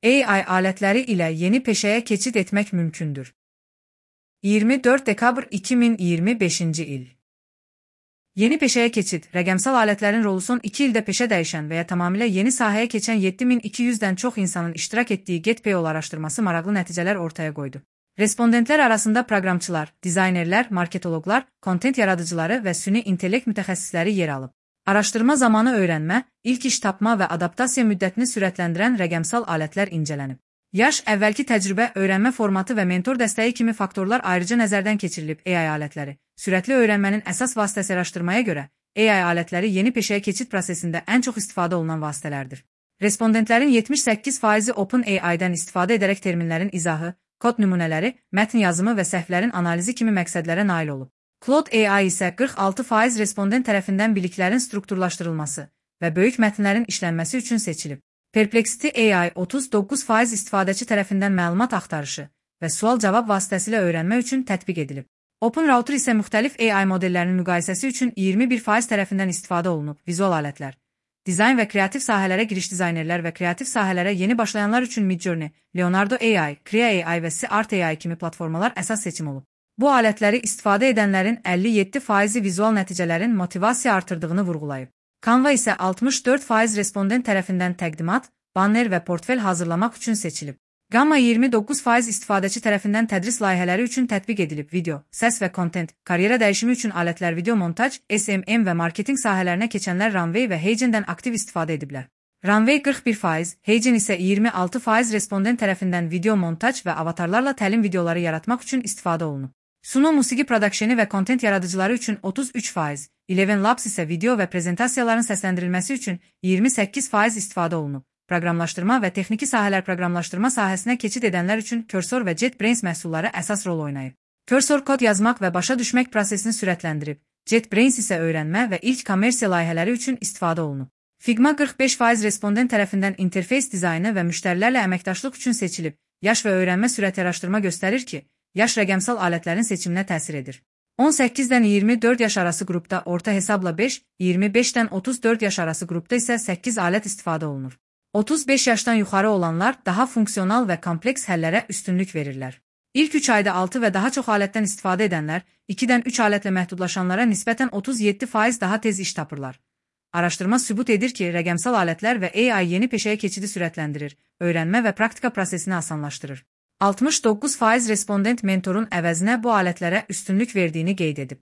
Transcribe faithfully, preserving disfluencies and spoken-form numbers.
A I alətləri ilə yeni peşəyə keçid etmək mümkündür. iyirmi dörd dekabr iki min iyirmi beşinci il. Yeni peşəyə keçid, rəqəmsal alətlərin rolu son iki ildə peşə dəyişən və ya tamamilə yeni sahəyə keçən yeddi min iki yüzdən çox insanın iştirak etdiyi GetPayola araşdırması maraqlı nəticələr ortaya qoydu. Respondentlər arasında proqramçılar, dizaynerlər, marketoloqlar, kontent yaradıcıları və süni intellekt mütəxəssisləri yer alıb. Araşdırma zamanı öyrənmə, ilk iş tapma və adaptasiya müddətini sürətləndirən rəqəmsal alətlər incələnib. Yaş, əvvəlki təcrübə, öyrənmə formatı və mentor dəstəyi kimi faktorlar ayrıca nəzərdən keçirilib. A I alətləri, sürətli öyrənmənin əsas vasitəsi araşdırmaya görə, A I alətləri yeni peşəyə keçid prosesində ən çox istifadə olunan vasitələrdir. Respondentlərin yetmiş səkkiz faizi OpenAI-dən istifadə edərək terminlərin izahı, kod nümunələri, mətn yazımı və səhvlərin analizi kimi məqsədlərə nail olub. Claude A I isə qırx altı faiz respondent tərəfindən biliklərin strukturlaşdırılması və böyük mətnlərin işlənməsi üçün seçilib. Perplexity A I otuz doqquz faiz istifadəçi tərəfindən məlumat axtarışı və sual-cavab vasitəsilə öyrənmə üçün tətbiq edilib. OpenRouter isə müxtəlif A I modellərinin müqayisəsi üçün iyirmi bir faiz tərəfindən istifadə olunub. Vizual alətlər, dizayn və kreativ sahələrə giriş dizaynerlər və kreativ sahələrə yeni başlayanlar üçün Midjourney, Leonardo A I, Krea A I və Seart A I kimi platformalar əsas seçim olub. Bu alətləri istifadə edənlərin əlli yeddi faizi vizual nəticələrin motivasiya artırdığını vurğulayıb. Canva isə altmış dörd faiz respondent tərəfindən təqdimat, banner və portfel hazırlamaq üçün seçilib. Gamma iyirmi doqquz faiz istifadəçi tərəfindən tədris layihələri üçün tətbiq edilib. Video, səs və kontent, karyera dəyişimi üçün alətlər video montaj, S M M və marketinq sahələrinə keçənlər Runway və Heijen-dən aktiv istifadə ediblər. Runway qırx bir faiz, Heijen isə iyirmi altı faiz respondent tərəfindən video montaj və avatarlarla təlim videoları yaratmaq üçün istifadə olunub. Suno musiqi prodakşeni və kontent yaradıcıları üçün otuz üç faiz, Eleven Labs isə video və prezentasiyaların səsləndirilməsi üçün iyirmi səkkiz faiz istifadə olunub. Proqramlaşdırma və texniki sahələr proqramlaşdırma sahəsinə keçid edənlər üçün Cursor və JetBrains məhsulları əsas rol oynayıb. Cursor kod yazmaq və başa düşmək prosesini sürətləndirib. JetBrains isə öyrənmə və ilk kommersiya layihələri üçün istifadə olunub. Figma qırx beş faiz respondent tərəfindən interfeys dizaynı və müştərilərlə əməkdaşlıq üçün seçilib. Yaş və öyrənmə sürəti araşdırma göstərir ki, yaş rəqəmsal alətlərin seçiminə təsir edir. on səkkizdən iyirmi dörd yaş arası qrupda orta hesabla beş, iyirmi beşdən otuz dörd yaş arası qrupda isə səkkiz alət istifadə olunur. otuz beş yaşdan yuxarı olanlar daha funksional və kompleks həllərə üstünlük verirlər. İlk üç ayda altı və daha çox alətdən istifadə edənlər, ikidən üç alətlə məhdudlaşanlara nisbətən otuz yeddi faiz daha tez iş tapırlar. Araşdırma sübut edir ki, rəqəmsal alətlər və A I yeni peşəyə keçidi sürətləndirir, öyrənmə və praktika prosesini asanlaşdırır. altmış doqquz faiz respondent mentorun əvəzinə bu alətlərə üstünlük verdiyini qeyd edib.